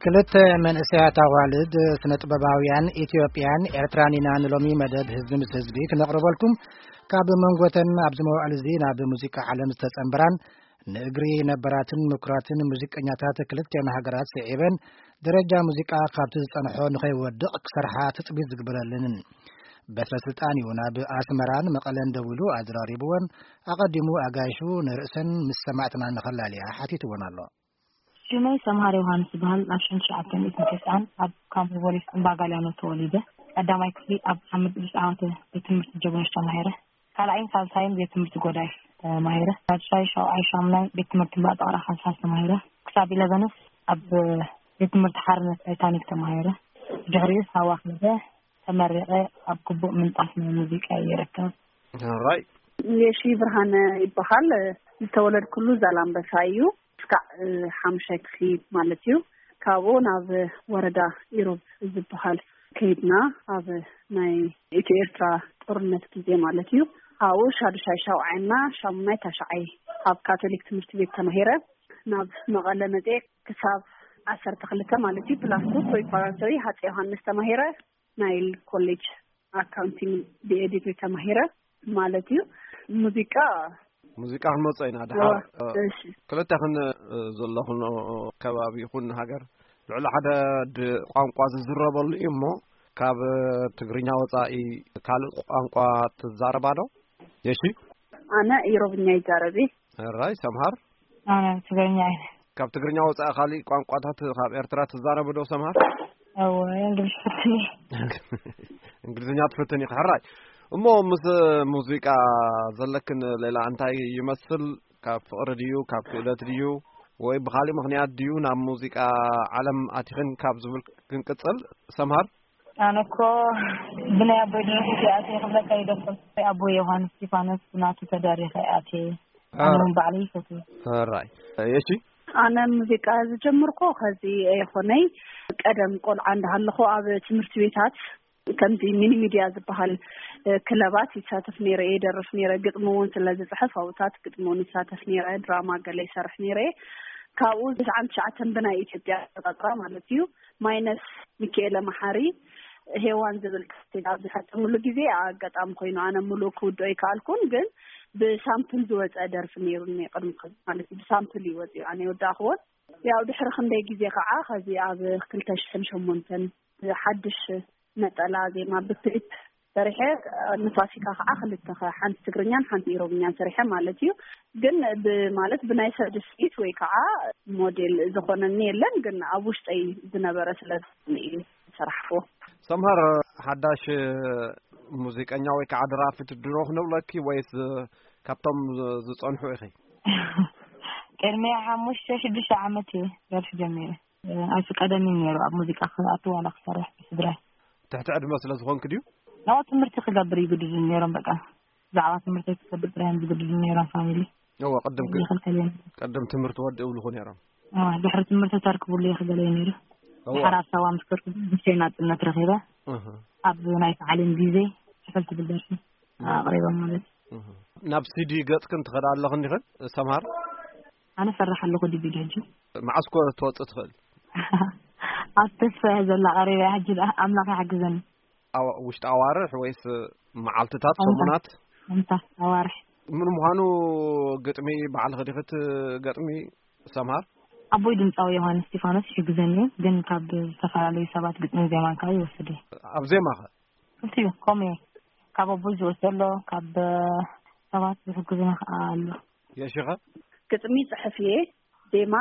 ክልተ መንእሰያት ኣዋልድ ስነ ጥበባውያን ኢትዮጵያን ኤርትራን ኢና ንሎሚ መደብ ህዝቢ ምስ ህዝቢ ክነቕርበልኩም። ካብ መንጎተን ኣብዚ መዋዕል እዚ ናብ ሙዚቃ ዓለም ዝተጸንበራን ንእግሪ ነበራትን ምኩራትን ሙዚቀኛታት ክልቲኣን ሃገራት ስዒበን ደረጃ ሙዚቃ ካብቲ ዝጸንሖ ንኸይወድቕ ክሰርሓ ትጽቢት ዝግበረለንን በትረ ስልጣን እዩ ናብ ኣስመራን መቐለን ደዊሉ ኣዘራሪብወን። ኣቐዲሙ ኣጋይሹ ንርእሰን ምስ ሰማዕትና ንኸላልያ ሓቲትወን ኣሎ። ሽመይ ሰምሃር ዮሃንስ ይበሃል። ኣብ ሽሕን ትሽዓተ ሚእትን ተስዓን ኣብ ካምፕ ፖሊስ እምባ ጋልያኖ ተወሊደ። ቀዳማይ ክፍሊ ኣብ ሓመድ ቅዱስ ዓወተ ቤት ትምህርቲ ጀጎነሽ ተማሂረ። ካልኣይን ሳልሳይን ቤት ትምህርቲ ጎዳይ ተማሂረ። ሳልሳይ ሻውዓይ ሻምናይ ቤት ትምህርቲ እምባ ጠቕራ ካልሳስ ተማሂረ። ክሳብ ኢለቨንስ ኣብ ቤት ትምህርቲ ሓርነት ታይታኒክ ተማሂረ። ድሕሪኡ ሳዋ ከይደ ተመሪቐ ኣብ ግቡእ ምንጣፍ ናይ ሙዚቃ ይርከብ። ራይ የሺ ብርሃነ ይበሃል። ዝተወለድኩሉ ዛላምበሳ እዩ። እስካዕ ሓሙሻይ ክፍሊ ማለት እዩ። ካብኡ ናብ ወረዳ ኢሮብ ዝበሃል ከይድና ኣብ ናይ ኢትዮ ኤርትራ ጦርነት ግዜ ማለት እዩ። ኣብኡ ሻዱሻይ ሻውዓይና ሻሙናይ ታሽዓይ ኣብ ካቶሊክ ትምህርቲ ቤት ተማሂረ። ናብ መቐለ መፅየ ክሳብ ዓሰርተ ክልተ ማለት እዩ ፕላስ ቱ ፕሪፓራቶሪ ሃፀ ዮሃንስ ተማሂረ ናይል ኮሌጅ ኣካውንቲንግ ብኤዲት ተማሂረ ማለት እዩ። ሙዚቃ ሙዚቃ ክንመጾ ኢና ድሓር። እሺ። ክልተኽን ዘለኹን ከባቢ ይኹን ሃገር ልዕሊ ሓደ ድ ቋንቋ ዝዝረበሉ እዩ እሞ ካብ ትግርኛ ወጻኢ ካልእ ቋንቋ ትዛረባ ዶ? የሺ። ኣነ ኢሮብኛ ይዛረብ እየ። ራይ ሰምሃር። ኣነ ትግርኛ እየ። ካብ ትግርኛ ወጻኢ ካሊእ ቋንቋታት ካብ ኤርትራ ትዛረብ ዶ ሰምሃር? እወ፣ እንግሊዝ ፈትኒ። እንግሊዝኛ ትፈትን ኢኺ። ሕራይ። እሞ ምስ ሙዚቃ ዘለክን ሌላ እንታይ ይመስል? ካብ ፍቕሪ ድዩ? ካብ ክእለት ድዩ? ወይ ብኻሊእ ምኽንያት ድዩ ናብ ሙዚቃ ዓለም ኣቲኽን ካብ ዝብል ክንቅጽል ሰምሃር? ኣነ እኮ ብናይ ኣቦይ ድርሰት እየ ኣትየ ክብለካ ይደፍር። ኣቦይ ዮሃንስ እስጢፋኖስ ብናቱ ተደሪኸ እየ ኣትየ። ኣነ እውን ባዕለይ ይፈትዎ። ሕራይ። የሺ? ኣነ ሙዚቃ ዝጀመርኩ ከዚ ኣይኮነይ። ቀደም ቆልዓ እንዳሃለኹ ኣብ ትምህርቲ ቤታት ከምዚ ሚኒ ሚድያ ዝበሃል ክለባት ይሳተፍ ነይረ፣ ይደርፍ ነይረ። ግጥሚ እውን ስለ ዝፅሕፍ ኣብታት ግጥሚ እውን ይሳተፍ ነይረ። ድራማ ገለ ይሰርሕ ነይረ። ካብኡ ተስዓን ትሽዓተን ብናይ ኢትዮጵያ ኣቆፃፅራ ማለት እዩ። ማይነስ ሚካኤለ መሓሪ ሄዋን ዝብል ካሴት ኣብ ዝፈፀምሉ ግዜ ኣጋጣሚ ኮይኑ ኣነ ሙሉእ ክውድኦ ኣይከኣልኩን፣ ግን ብሳምፕል ዝወፀ ደርፊ ነይሩኒ ቅድሚ ማለት እዩ። ብሳምፕል እዩ ወፂኡ፣ ኣነ ይወዳእክዎን። ያው ድሕሪ ክንደይ ግዜ ከዓ ከዚ ኣብ ክልተ ሽሕን ሸሞንተን ሓድሽ ነጠላ ዜማ ብክሊፕ ሰሪሐ፣ ንፋሲካ ከዓ ክልተ ከ ሓንቲ ትግርኛን ሓንቲ ኢሮብኛን ሰሪሐ ማለት እዩ። ግን ብማለት ብናይ ሰብ ድስኢት ወይ ከዓ ሞዴል ዝኾነኒ የለን፣ ግን ኣብ ውሽጠይ ዝነበረ ስለ ዝኾነ እዩ ዝሰራሕዎ። ሰምሃር፣ ሓዳሽ ሙዚቀኛ ወይ ከዓ ደራፊት ድሮ ክንብለኪ ወይስ ካብቶም ዝፀንሑ ኢኺ? ቅድሚ ሓሙሽተ ሽዱሽተ ዓመት እየ ደርፊ ጀሚረ። ኣይፍቀደኒ ነይሩ ኣብ ሙዚቃ ክኣቱ ዋላ ክሰርሕ ብስድራይ። ትሕቲ ዕድመ ስለ ዝኾንክ ድዩ? ናው ትምህርቲ ክገብር ይግድዱ ነይሮም። በቃ ብዛዕባ ትምህርቲ ክገብር ጥራይ እዮም ዝግድዱ ነይሮም ፋሚሊ። እወ፣ ቅድም ክ- ይኽልከል እዮም። ቅድም ትምህርቲ ወዲ እብልኹ ነይሮም። እወ፣ ድሕሪ ትምህርቲ ተርክቡሉ ይኽገለ ነይሩ። እወ። ድሓር ኣብ ሳዋ ምስ ከድኩ ብሸይ ናጽነት ረኺበ። እህ። ኣብ ናይ ሰዓሊን ግዜ ሕፈል ትብል ደርፊ ኣቕሪቦም ማለት እዩ። እህ። ናብ ሲዲ ገጽክን ትኸዳ ኣለኽን ዲኽን ሰምሃር? ኣነ ፈራሕ ኣለኹ ዲቪድ ሕጂ። መዓስ ኮ ትወጽእ ትኽእል? ኣብ ተስፋ እየ ዘላ ቀሪበ እያ ሕጂ ደኣ ኣምላኽ ይሓግዘኒ። ኣዋ-፣ ውሽጢ ኣዋርሕ ወይስ መዓልትታት፣ ኣንታ። ሰሙናት? ኣንታ ኣዋርሕ። ምን ምዃኑ ግጥሚ ባዕልኺ ዲኺ ትገጥሚ ሰምሃር? ኣቦይ ድምጻዊ ዮሃንስ እስጢፋኖስ ይሕግዘኒ እዩ፣ ግን ካብ ዝተፈላለዩ ሰባት ግጥምን ዜማን ከዓ ይወስድ እዩ። ኣብ ዜማኸ? ክልቲኡ ከምኡ እዩ። ካብ ኣቦይ ዝወስድ ኣሎ፣ ካብ ሰባት ዝሕግዙና ከዓ ኣሎ። የሺኸ? ግጥሚ ጽሕፍ እየ፣ ዜማ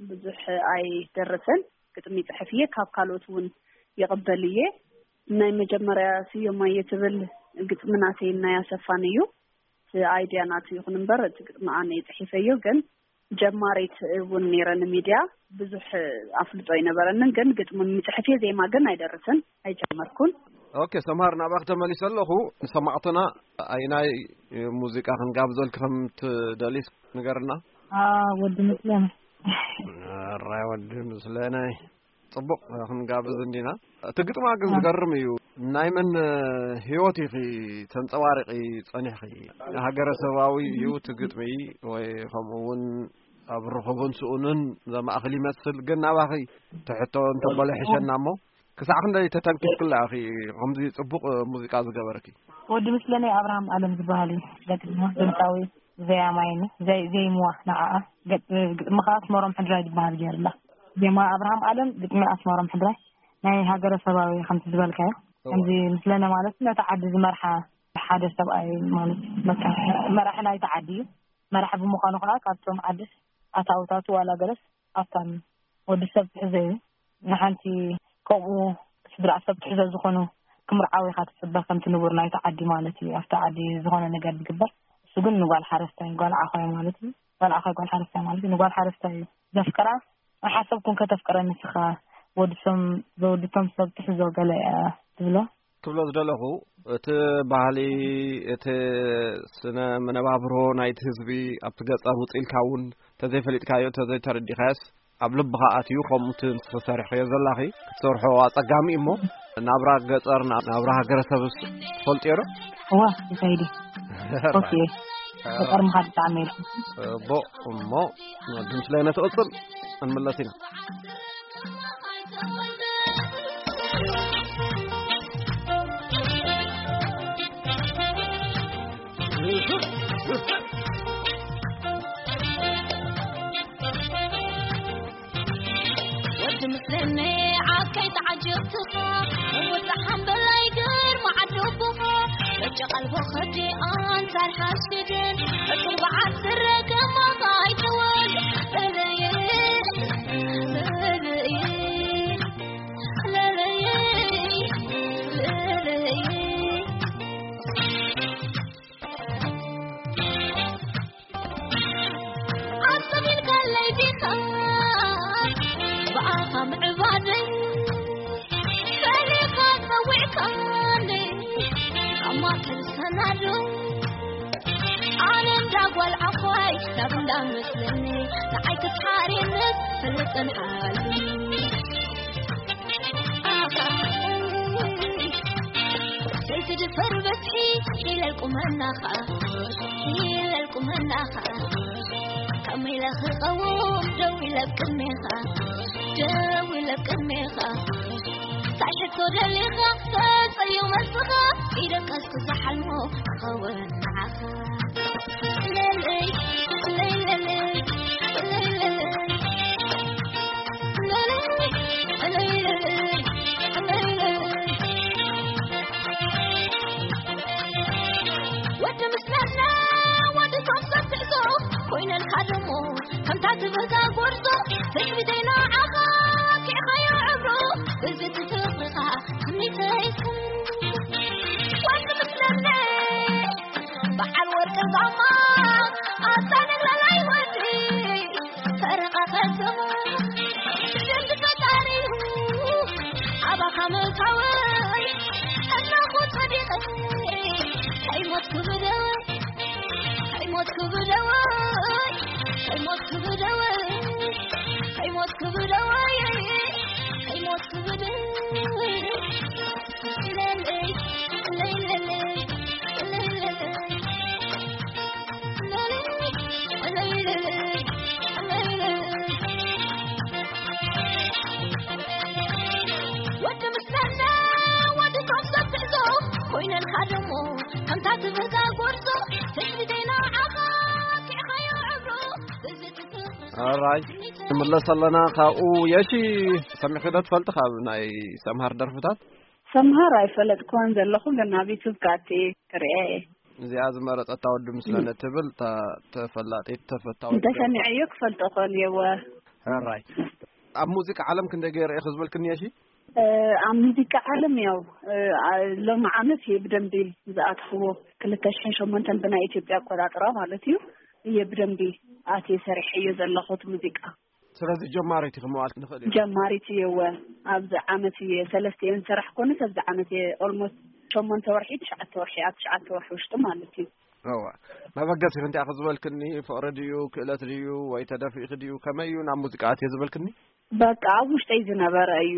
ብዙሕ ኣይደርስን። ግጥሚ ጽሕፍ እየ፣ ካብ ካልኦት እውን ይቕበል እየ። ናይ መጀመርያ ስዮም ኣየ ትብል ግጥሚ ናተይ ናይ ኣሰፋን እዩ። እቲ ኣይድያ ናቱ ይኹን እምበር እቲ ግጥሚ ኣነ እየ ጽሒፈዮ፣ ግን ጀማሪት እውን ነይረ፣ ንሚድያ ብዙሕ ኣፍልጦ ኣይነበረንን፣ ግን ግጥሚ ምጽሕፍ እየ፣ ዜማ ግን ኣይደርስን፣ ኣይጀመርኩን። ኦኬ፣ ሰምሃር፣ ናባኺ ተመሊሰ ኣለኹ። ንሰማዕትና ኣይናይ ሙዚቃ ክንጋብዘልኪ ከም ትደልይ ንገርና። አ፣ ወዲ ምስለነ። ኣራይ ወዲ ምስለነ። ጽቡቕ፣ ክንጋብዝ እንዲና። እቲ ግጥማ ግን አ። ዝገርም እዩ። ናይ መን ህይወት ኢኺ ተንጸባሪቒ ጸኒሕኺ? ሃገረሰባዊ እዩ እቲ ግጥሚ ወይ ከምኡ እውን ኣብ ርኹብን ስኡንን ዘማእኽል ይመስል። ግን ናባኺ ትሕቶ እንተበለ ሕሸና እሞ፣ ክሳዕ ክንደይ ተተንኪፍክላ ኢኺ ከምዚ ጽቡቕ ሙዚቃ ዝገበርኪ? ወዲ ምስለነይ ኣብርሃም ኣለም ዝበሃል እዩ። ገጥሞ ድምፃዊ፣ ዘያማይን ዘይ-፣ ዘይምዋ ንዓኣ። ገጥ-፣ ግጥሚ ከዓ ኣስመሮም ሕድራይ ዝበሃል ገይርላ። ዜማ ኣብርሃም ኣለም፣ ግጥሚ ኣስመሮም ሕድራይ። ናይ ሃገረሰባዊ ከምቲ ዝበልካዮ፣ እዋ። ከምዚ ምስለነ ማለት ነቲ ዓዲ ዝመርሓ ሓደ ሰብኣይ ማለት እዩ። በቃ መራሒ ናይቲ ዓዲ እዩ። መራሒ ብምዃኑ ከዓ ካብቶም ዓዲ ኣታውታቱ ዋላ ገለስ ኣብታን ወዲ ሰብ ትሕዘ እዩ። ንሓንቲ ከምኡ ስድራ ሰብ ትሕዘ ዝኾኑ ክምርዓው ኢኻ ትጽበ፣ ከምቲ ንቡር ናይቲ ዓዲ ማለት እዩ። ኣብቲ ዓዲ ዝኾነ ነገር ዝግበር፣ እሱ ግን ንጓል ሓረስታይ፣ ጓል ዓኾይ ማለት እዩ። ጓል ዓኾይ፣ ጓል ሓረስታይ ማለት እዩ። ንጓል ሓረስታይ እዩ ዘፍቅራ። ሓሰብኩም ከተፍቅረ ንስኻ፣ ወዲ ሰም-፣ ወዲ ቶም ሰብ ትሕዞ ገለ እያ ትብሎ። ክብሎ ዝደለኹ፣ እቲ ባህሊ፣ እቲ ስነ መነባብሮ ናይቲ ህዝቢ ኣብቲ ገጸር ውጽእ ኢልካ እውን እንተዘይፈሊጥካዮ፣ እንተዘይተረዲኻዮስ፣ ኣብ ልብኻ ኣትዩ፣ ከምኡ እቲ ንስኺ ሰሪሕኽዮ ዘላኺ ክትሰርሖ ኣጸጋሚ እሞ፣ ናብራ ገጸር፣ ና-፣ ናብራ ሃገረሰብስ ትፈልጥዮ ዶ? እዋ፣ ይኸይድ እዩ። ኦኬ። ገጠር ምኻድ ብጣዕሚ የድልዩ። እቦ፣ እሞ፣ ድምስለይ ነትቕጽል፣ እንምለስ ኢና። ወዲ ምስለኒ ዓከይ ተዓጀብትኻ፣ ወዲ ሓምበላይ ግርማ ዓዲ ኣቦኻ፣ ደቂ ቀልቦ ኸዲ ኣንጻር ሓሽድን፣ ሕጡር በዓል ስረ ከማኻ ኣይተወልድ። ለለየ፣ ለለየ፣ ለለየ፣ ለለየ። ኣስተቢልካለይ ዲኻ ብኣኻ ምዕባደይ፣ ፈሊኻ ጸዊዕካኒ ኣብ ማእከል ሰናዶ። ኣነ እንዳ ጓል ዓኾይ ናብ እንዳ መስለኒ፣ ንዓይ ክትሓርየኒ ፍልጥን ሓልኒ። ዘይትድፈር በትሒ ኢለል ቁመናኻ፣ ኢለል ቁመናኻ። ከመይ ኢለ ክቐውም ደው ኢለ ኣብ ቅድሜኻ፣ ደው ኢለ ኣብ ቅድሜኻ። እንታይ ሕቶ ደሊኻ ተጸዩ መልስኻ፣ ኢደቀስ ክዝሓልሞ ክኸውን ንዓኻ። ወዲ ምስለና ወዲ ቶም ሰብ ትዕዞ ኮይነልካ ደሞ ከምታ ትብዛ ጎርዞ ትዕቢተይ ንዓኻ ኪዕኻዮ ዕብሮ እዚ ትፍቕርኻ ትምኒተይ ወዲ ምስለና በዓል ወርቂ ዛማ ኣታ ነግረላይ ወዲ ፈረቓ ከተማ ደቂ ፈጣሪ ኣባኻ ምእታወይ እናኹ ጸዲቐ ከይሞትኩ ብደወይ ከይሞትኩ ብደወይ ከይሞትኩ ብደወይ ከይሞትኩ ብደወይ ከይሞትኩ ብደወይ ወዲ ምስለና ወዲ ቶም ሰብ ትዕዞ ኮይነልካ ደሞ ከምታ ትብዛ ጎርዞ ትዕቢተይ ንዓኻ ኪዕኻዮ ዕብሮ እዚ ትፍቕርኻ ኣራይ፣ ትምለስ ኣለና። ካብኡ የሺ ሰሚዕኺ ዶ ትፈልጢ ካብ ናይ ሰምሃር ደርፍታት? ሰምሃር ኣይፈለጥኩዎን ዘለኹ፣ ግን ኣብ ዩቱብ ከኣቲ ክርእያ እየ። እዚኣ ዝመረጸታ ወዲ ምስለነ ትብል እታ ተፈላጢት ተፈታዊት እንተሰሚዐዮ ክፈልጦ ክእል እየ። እወ። ሕራይ። ኣብ ሙዚቃ ዓለም ክንደይ ገይረ እየ ክዝበልክኒ እሺ? እ፣ ኣብ ሙዚቃ ዓለም ያው፣ እ፣ አ-፣ ሎሚ ዓመት እየ ብደንቢ ዝኣትኽዎ፣ ክልተ ሽሕን ሸሞንተን ብናይ ኢትዮጵያ ኣቆጻጽራ ማለት እዩ። እየ ብደንቢ ኣትየ ሰሪሐዮ ዘለኹ እቲ ሙዚቃ። ስለዚ ጀማሪት ኢኺ ምባል ንኽእል ኢና። ጀማሪት እየ፣ እወ። ኣብዚ ዓመት እየ፣ ሰለስተ እየ ዝሰራሕ ኮነ፣ ኣብዚ ዓመት እየ ኦልሞስት ሸሞንተ ወርሒ፣ ትሽዓተ ወርሒ፣ ኣብ ትሽዓተ ወርሒ ውሽጢ ማለት እዩ። እወ። መበገሲኺ እንታይ ኢኺ ዝበልክኒ? ፍቕሪ ድዩ፣ ክእለት ድዩ፣ ወይ ተደፊእኺ ድዩ፣ ከመይ እዩ ናብ ሙዚቃ ኣትየ ዝበልክኒ? በቃ ኣብ ውሽጠይ ዝነበረ እዩ።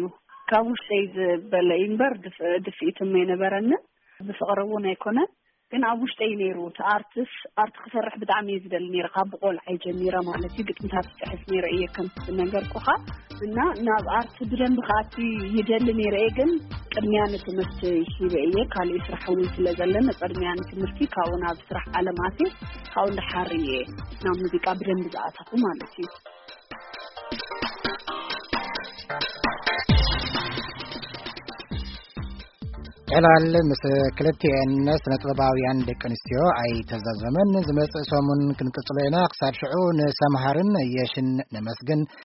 ካብ ውሽጠይ ዝበለ እዩ እምበር ድፍ-፣ ድፍኢት እሞ ኣይነበረንን። ብፍቕሪ እውን ኣይኮነን። ግን ኣብ ውሽጠይ ነይሩ። እቲ ኣርትስ ኣርት ክሰርሕ ብጣዕሚ እየ ዝደሊ ነይረ፣ ካብ ቆልዓይ ጀሚረ ማለት እዩ። ግጥምታት ክፅሕፍ ነይረ እየ ከም ዝነገርኩኻ። እና ናብ ኣርት ብደንብ ክኣቲ ይደሊ ነይረ እየ፣ ግን ቅድሚያ ንትምህርቲ ሂበ እየ። ካልእ ስራሕ እውን ስለ ዘለኒ ቅድሚያ ንትምህርቲ፣ ካብኡ ናብ ስራሕ ዓለም ኣትየ፣ ካብኡ እንዳሓር እየ ናብ ሙዚቃ ብደንብ ዝኣተኹ ማለት እዩ። ዕላል ምስ ክልቲኤን ስነ ጥበባውያን ደቂ ኣንስትዮ ኣይተዛዘመን። ዝመጽእ ሰሙን ክንቅጽሎ ኢና። ክሳብ ሽዑ ንሰምሃርን የሽን ነመስግን።